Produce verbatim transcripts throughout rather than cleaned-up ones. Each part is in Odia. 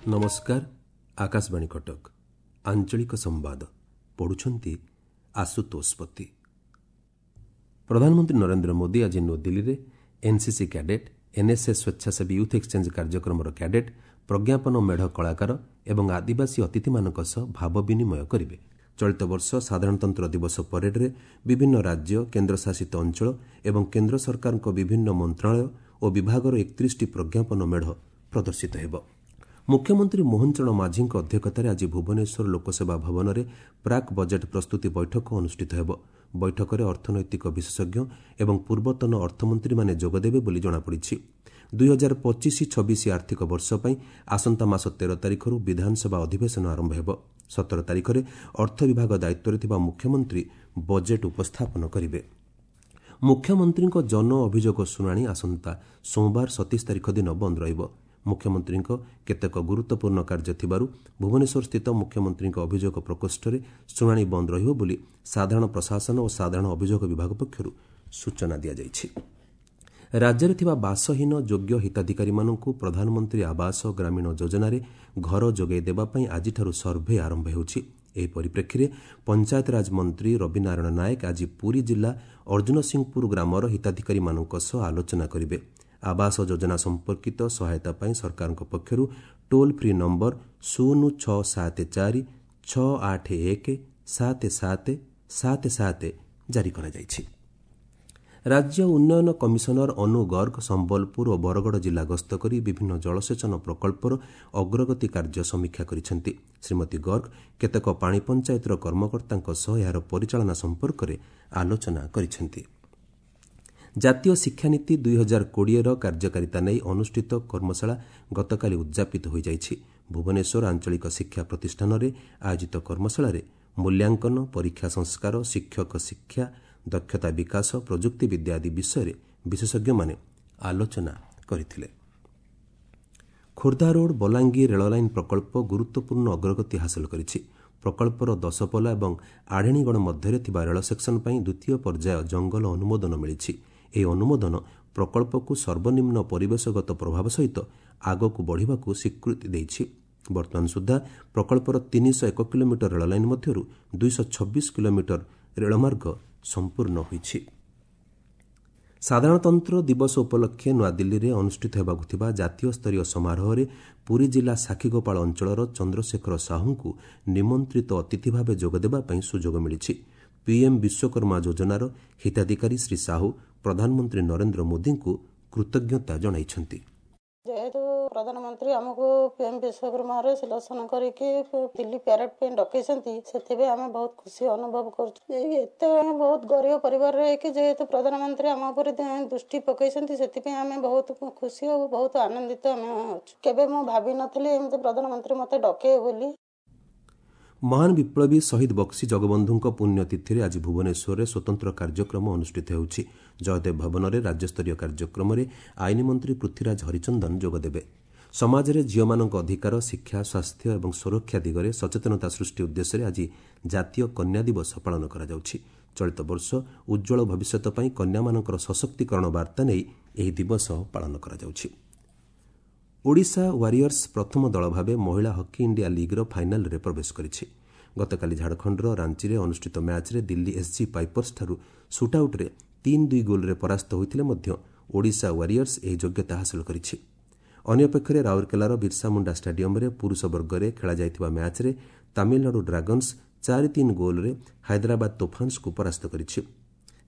ନମସ୍କାର, ଆକାଶବାଣୀ କଟକ, ଆଞ୍ଚଳିକ ସମ୍ବାଦ ପଢୁଛନ୍ତି ଆଶୁତୋଷ ପତି। ପ୍ରଧାନମନ୍ତ୍ରୀ ନରେନ୍ଦ୍ର ମୋଦି ଆଜି ନୂଆଦିଲ୍ଲୀରେ ଏନ୍ସିସି କ୍ୟାଡେଟ୍, ଏନ୍ଏସ୍ଏସ୍ ସ୍ୱେଚ୍ଛାସେବୀ ୟୁଥ୍ ଏକ୍ସଚେଞ୍ଜ କାର୍ଯ୍ୟକ୍ରମର କ୍ୟାଡେଟ୍, ପ୍ରଜ୍ଞାପନ ମେଢ଼ କଳାକାର ଏବଂ ଆଦିବାସୀ ଅତିଥିମାନଙ୍କ ସହ ଭାବ ବିନିମୟ କରିବେ। ଚଳିତ ବର୍ଷ ସାଧାରଣତନ୍ତ୍ର ଦିବସ ପରେଡ୍ରେ ବିଭିନ୍ନ ରାଜ୍ୟ, କେନ୍ଦ୍ରଶାସିତ ଅଞ୍ଚଳ ଏବଂ କେନ୍ଦ୍ର ସରକାରଙ୍କ ବିଭିନ୍ନ ମନ୍ତ୍ରଣାଳୟ ଓ ବିଭାଗର ଏକତିରିଶଟି ପ୍ରଜ୍ଞାପନ ମେଢ଼ ପ୍ରଦର୍ଶିତ ହେବ। ମୁଖ୍ୟମନ୍ତ୍ରୀ ମୋହନ ଚରଣ ମାଝୀଙ୍କ ଅଧ୍ୟକ୍ଷତାରେ ଆଜି ଭୁବନେଶ୍ୱର ଲୋକସେବା ଭବନରେ ପ୍ରାକ୍ ବଜେଟ୍ ପ୍ରସ୍ତୁତି ବୈଠକ ଅନୁଷ୍ଠିତ ହେବ। ବୈଠକରେ ଅର୍ଥନୈତିକ ବିଶେଷଜ୍ଞ ଏବଂ ପୂର୍ବତନ ଅର୍ଥମନ୍ତ୍ରୀମାନେ ଯୋଗଦେବେ ବୋଲି ଜଣାପଡ଼ିଛି। ଦୁଇ ହଜାର ପଚିଶ ଛବିଶ ଆର୍ଥିକ ବର୍ଷ ପାଇଁ ଆସନ୍ତା ମାସ ତେର ତାରିଖରୁ ବିଧାନସଭା ଅଧିବେଶନ ଆରମ୍ଭ ହେବ। ସତର ତାରିଖରେ ଅର୍ଥ ବିଭାଗ ଦାୟିତ୍ୱରେ ଥିବା ମୁଖ୍ୟମନ୍ତ୍ରୀ ବଜେଟ୍ ଉପସ୍ଥାପନ କରିବେ। ମୁଖ୍ୟମନ୍ତ୍ରୀଙ୍କ ଜନ ଅଭିଯୋଗ ଶୁଣାଣି ଆସନ୍ତା ସୋମବାର ସତେଇଶ ତାରିଖ ଦିନ ବନ୍ଦ ରହିବ। ମୁଖ୍ୟମନ୍ତ୍ରୀଙ୍କ କେତେକ ଗୁରୁତ୍ୱପୂର୍ଣ୍ଣ କାର୍ଯ୍ୟ ଥିବାରୁ ଭୁବନେଶ୍ୱରସ୍ଥିତ ମୁଖ୍ୟମନ୍ତ୍ରୀଙ୍କ ଅଭିଯୋଗ ପ୍ରକୋଷ୍ଠରେ ଶୁଣାଣି ବନ୍ଦ ରହିବ ବୋଲି ସାଧାରଣ ପ୍ରଶାସନ ଓ ସାଧାରଣ ଅଭିଯୋଗ ବିଭାଗ ପକ୍ଷରୁ ସୂଚନା ଦିଆଯାଇଛି। ରାଜ୍ୟରେ ଥିବା ବାସହୀନ ଯୋଗ୍ୟ ହିତାଧିକାରୀମାନଙ୍କୁ ପ୍ରଧାନମନ୍ତ୍ରୀ ଆବାସ ଗ୍ରାମୀଣ ଯୋଜନାରେ ଘର ଯୋଗାଇ ଦେବା ପାଇଁ ଆଜିଠାରୁ ସର୍ଭେ ଆରମ୍ଭ ହେଉଛି। ଏହି ପରିପ୍ରେକ୍ଷୀରେ ପଞ୍ଚାୟତରାଜ ମନ୍ତ୍ରୀ ରବିନାରାୟଣ ନାୟକ ଆଜି ପୁରୀ ଜିଲ୍ଲା ଅର୍ଜୁନସିଂହପୁର ଗ୍ରାମର ହିତାଧିକାରୀମାନଙ୍କ ସହ ଆଲୋଚନା କରିବେ। ଆବାସ ଯୋଜନା ସମ୍ପର୍କିତ ସହାୟତା ପାଇଁ ସରକାରଙ୍କ ପକ୍ଷରୁ ଟୋଲ୍ ଫ୍ରି ନମ୍ବର ଶୂନ ଛଅ ସାତ ଚାରି ଛଅ ଆଠ ଏକ ସାତ ସାତ ସାତ ସାତ ଜାରି କରାଯାଇଛି। ରାଜ୍ୟ ଉନ୍ନୟନ କମିଶନର ଅନୁ ଗର୍ଗ ସମ୍ବଲପୁର ଓ ବରଗଡ଼ ଜିଲ୍ଲା ଗସ୍ତ କରି ବିଭିନ୍ନ ଜଳସେଚନ ପ୍ରକଳ୍ପର ଅଗ୍ରଗତି କାର୍ଯ୍ୟ ସମୀକ୍ଷା କରିଛନ୍ତି। ଶ୍ରୀମତୀ ଗର୍ଗ କେତେକ ପାଣି ପଞ୍ଚାୟତର କର୍ମକର୍ତ୍ତାଙ୍କ ସହ ଏହାର ପରିଚାଳନା ସମ୍ପର୍କରେ ଆଲୋଚନା କରିଛନ୍ତି। ଜାତୀୟ ଶିକ୍ଷାନୀତି ଦୁଇ ହଜାର କୋଡ଼ିଏର କାର୍ଯ୍ୟକାରିତା ନେଇ ଅନୁଷ୍ଠିତ କର୍ମଶାଳା ଗତକାଲି ଉଦ୍ଯାପିତ ହୋଇଯାଇଛି। ଭୁବନେଶ୍ୱର ଆଞ୍ଚଳିକ ଶିକ୍ଷା ପ୍ରତିଷ୍ଠାନରେ ଆୟୋଜିତ କର୍ମଶାଳାରେ ମୂଲ୍ୟାଙ୍କନ, ପରୀକ୍ଷା ସଂସ୍କାର, ଶିକ୍ଷକ ଶିକ୍ଷା, ଦକ୍ଷତା ବିକାଶ, ପ୍ରଯୁକ୍ତିବିଦ୍ୟା ଆଦି ବିଷୟରେ ବିଶେଷଜ୍ଞମାନେ ଆଲୋଚନା କରିଥିଲେ। ଖୋର୍ଦ୍ଧା ରୋଡ୍ ବଲାଙ୍ଗୀର ରେଳଲାଇନ୍ ପ୍ରକଳ୍ପ ଗୁରୁତ୍ୱପୂର୍ଣ୍ଣ ଅଗ୍ରଗତି ହାସଲ କରିଛି। ପ୍ରକଳ୍ପର ଦଶପଲା ଏବଂ ଆଢ଼େଣୀଗଡ଼ ମଧ୍ୟରେ ଥିବା ରେଳ ସେକ୍ସନ ପାଇଁ ଦ୍ୱିତୀୟ ପର୍ଯ୍ୟାୟ ଜଙ୍ଗଲ ଅନୁମୋଦନ ମିଳିଛି। ଏହି ଅନୁମୋଦନ ପ୍ରକଳ୍ପକୁ ସର୍ବନିମ୍ନ ପରିବେଶଗତ ପ୍ରଭାବ ସହିତ ଆଗକୁ ବଢ଼ିବାକୁ ସ୍ୱୀକୃତି ଦେଇଛି। ବର୍ତ୍ତମାନ ସୁଦ୍ଧା ପ୍ରକଳ୍ପର ତିନିଶହ ଏକ କିଲୋମିଟର ରେଳଲାଇନ୍ ମଧ୍ୟରୁ ଦୁଇଶହ ଛବିଶ କିଲୋମିଟର ରେଳମାର୍ଗ ସମ୍ପୂର୍ଣ୍ଣ ହୋଇଛି। ସାଧାରଣତନ୍ତ୍ର ଦିବସ ଉପଲକ୍ଷେ ନୂଆଦିଲ୍ଲୀରେ ଅନୁଷ୍ଠିତ ହେବାକୁ ଥିବା ଜାତୀୟ ସ୍ତରୀୟ ସମାରୋହରେ ପୁରୀ ଜିଲ୍ଲା ସାକ୍ଷୀଗୋପାଳ ଅଞ୍ଚଳର ଚନ୍ଦ୍ରଶେଖର ସାହୁଙ୍କୁ ନିମନ୍ତ୍ରିତ ଅତିଥି ଭାବେ ଯୋଗଦେବା ପାଇଁ ସୁଯୋଗ ମିଳିଛି। ପିଏମ୍ ବିଶ୍ୱକର୍ମା ଯୋଜନାର ହିତାଧିକାରୀ ଶ୍ରୀ ସାହୁ ପ୍ରଧାନମନ୍ତ୍ରୀ ନରେନ୍ଦ୍ର ମୋଦିଙ୍କୁ କୃତଜ୍ଞତା ଜଣାଇଛନ୍ତି। ଯେହେତୁ ପ୍ରଧାନମନ୍ତ୍ରୀ ଆମକୁ ପିଏମ୍ ବିଶ୍ୱକର୍ମାରେ ସିଲେକ୍ସନ କରିକି ଦିଲ୍ଲୀ ପ୍ୟାରେଡ୍ ପାଇଁ ଡକେଇଛନ୍ତି, ସେଥିପାଇଁ ଆମେ ବହୁତ ଖୁସି ଅନୁଭବ କରୁଛୁ। ଏତେ ବହୁତ ଗରିବ ପରିବାରରେ ହେଇକି ଯେହେତୁ ପ୍ରଧାନମନ୍ତ୍ରୀ ଆମ ଉପରେ ଦୃଷ୍ଟି ପକେଇଛନ୍ତି, ସେଥିପାଇଁ ଆମେ ବହୁତ ଖୁସି ଆଉ ବହୁତ ଆନନ୍ଦିତ ଆମେ ଅଛୁ। କେବେ ମୁଁ ଭାବିନଥିଲି ଏମିତି ପ୍ରଧାନମନ୍ତ୍ରୀ ମୋତେ ଡକେଇବେ ବୋଲି। ମହାନ ବିପ୍ଳବୀ ଶହୀଦ ବକ୍ସି ଜଗବନ୍ଧୁଙ୍କ ପୁଣ୍ୟତିଥିରେ ଆଜି ଭୁବନେଶ୍ୱରରେ ସ୍ୱତନ୍ତ୍ର କାର୍ଯ୍ୟକ୍ରମ ଅନୁଷ୍ଠିତ ହେଉଛି। ଜୟଦେବ ଭବନରେ ରାଜ୍ୟସ୍ତରୀୟ କାର୍ଯ୍ୟକ୍ରମରେ ଆଇନ ମନ୍ତ୍ରୀ ପୃଥ୍ୱୀରାଜ ହରିଚନ୍ଦନ ଯୋଗଦେବେ। ସମାଜରେ ଝିଅମାନଙ୍କ ଅଧିକାର, ଶିକ୍ଷା, ସ୍ୱାସ୍ଥ୍ୟ ଏବଂ ସୁରକ୍ଷା ଦିଗରେ ସଚେତନତା ସୃଷ୍ଟି ଉଦ୍ଦେଶ୍ୟରେ ଆଜି ଜାତୀୟ କନ୍ୟା ଦିବସ ପାଳନ କରାଯାଉଛି। ଚଳିତ ବର୍ଷ ଉଜ୍ଜ୍ୱଳ ଭବିଷ୍ୟତ ପାଇଁ କନ୍ୟାମାନଙ୍କର ସଶକ୍ତିକରଣ ବାର୍ତ୍ତା ନେଇ ଏହି ଦିବସ ପାଳନ କରାଯାଉଛି। ଓଡ଼ିଶା ୱାରିୟର୍ସ ପ୍ରଥମ ଦଳ ଭାବେ ମହିଳା ହକି ଇଣ୍ଡିଆ ଲିଗ୍ର ଫାଇନାଲ୍ରେ ପ୍ରବେଶ କରିଛି। ଗତକାଲି ଝାଡ଼ଖଣ୍ଡର ରାଞ୍ଚିରେ ଅନୁଷ୍ଠିତ ମ୍ୟାଚ୍ରେ ଦିଲ୍ଲୀ ଏସ୍ଜି ପାଇପର୍ସଠାରୁ ସୁଟ୍ଆଉଟ୍ରେ ତିନି ଦୁଇ ଗୋଲ୍ରେ ପରାସ୍ତ ହୋଇଥିଲେ ମଧ୍ୟ ଓଡ଼ିଶା ୱାରିୟର୍ସ ଏହି ଯୋଗ୍ୟତା ହାସଲ କରିଛି। ଅନ୍ୟପକ୍ଷରେ ରାଉରକେଲାର ବିର୍ସା ମୁଣ୍ଡା ଷ୍ଟାଡିୟମ୍ରେ ପୁରୁଷ ବର୍ଗରେ ଖେଳାଯାଇଥିବା ମ୍ୟାଚ୍ରେ ତାମିଲନାଡୁ ଡ୍ରାଗନ୍ସ ଚାରି ତିନି ଗୋଲ୍ରେ ହାଇଦ୍ରାବାଦ ତୋଫାନ୍ସକୁ ପରାସ୍ତ କରିଛି।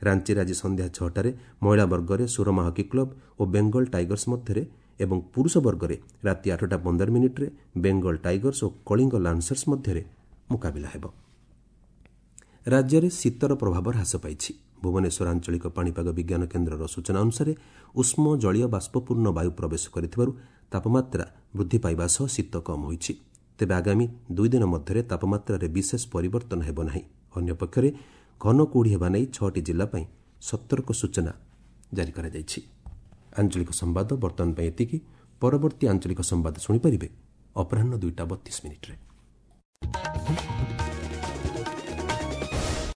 ରାଞ୍ଚିରେ ଆଜି ସନ୍ଧ୍ୟା ଛଅଟାରେ ମହିଳା ବର୍ଗରେ ସୁରମା ହକି କ୍ଲବ ଓ ବେଙ୍ଗଲ ଟାଇଗର୍ସ ମଧ୍ୟରେ ଏବଂ ପୁରୁଷ ବର୍ଗରେ ରାତି ଆଠଟା ପନ୍ଦର ମିନିଟ୍ରେ ବେଙ୍ଗଲ ଟାଇଗର୍ସ ଓ କଳିଙ୍ଗ ଲାନ୍ସର୍ସ ମଧ୍ୟରେ ମୁକାବିଲା ହେବ। ରାଜ୍ୟରେ ଶୀତର ପ୍ରଭାବ ହ୍ରାସ ପାଇଛି। ଭୁବନେଶ୍ୱର ଆଞ୍ଚଳିକ ପାଣିପାଗ ବିଜ୍ଞାନ କେନ୍ଦ୍ରର ସୂଚନା ଅନୁସାରେ ଉଷ୍ମ ଜଳୀୟ ବାଷ୍ପପୂର୍ଣ୍ଣ ବାୟୁ ପ୍ରବେଶ କରିଥିବାରୁ ତାପମାତ୍ରା ବୃଦ୍ଧି ପାଇବା ସହ ଶୀତ କମ୍ ହୋଇଛି। ତେବେ ଆଗାମୀ ଦୁଇ ଦିନ ମଧ୍ୟରେ ତାପମାତ୍ରାରେ ବିଶେଷ ପରିବର୍ତ୍ତନ ହେବ ନାହିଁ। ଅନ୍ୟପକ୍ଷରେ ଘନ କୁହୁଡ଼ି ହେବା ନେଇ ଛଅଟି ଜିଲ୍ଲା ପାଇଁ ସତର୍କ ସୂଚନା ଜାରି କରାଯାଇଛି। ଆଞ୍ଚଳିକ ସମ୍ବାଦ ବର୍ତ୍ତମାନ ପାଇଁ ଏତିକି। ପରବର୍ତ୍ତୀ ଆଞ୍ଚଳିକ ସମ୍ବାଦ ଶୁଣିପାରିବେ ଅପରାହ୍ନ ଦୁଇଟା ବତିଶ ମିନିଟ୍ରେ।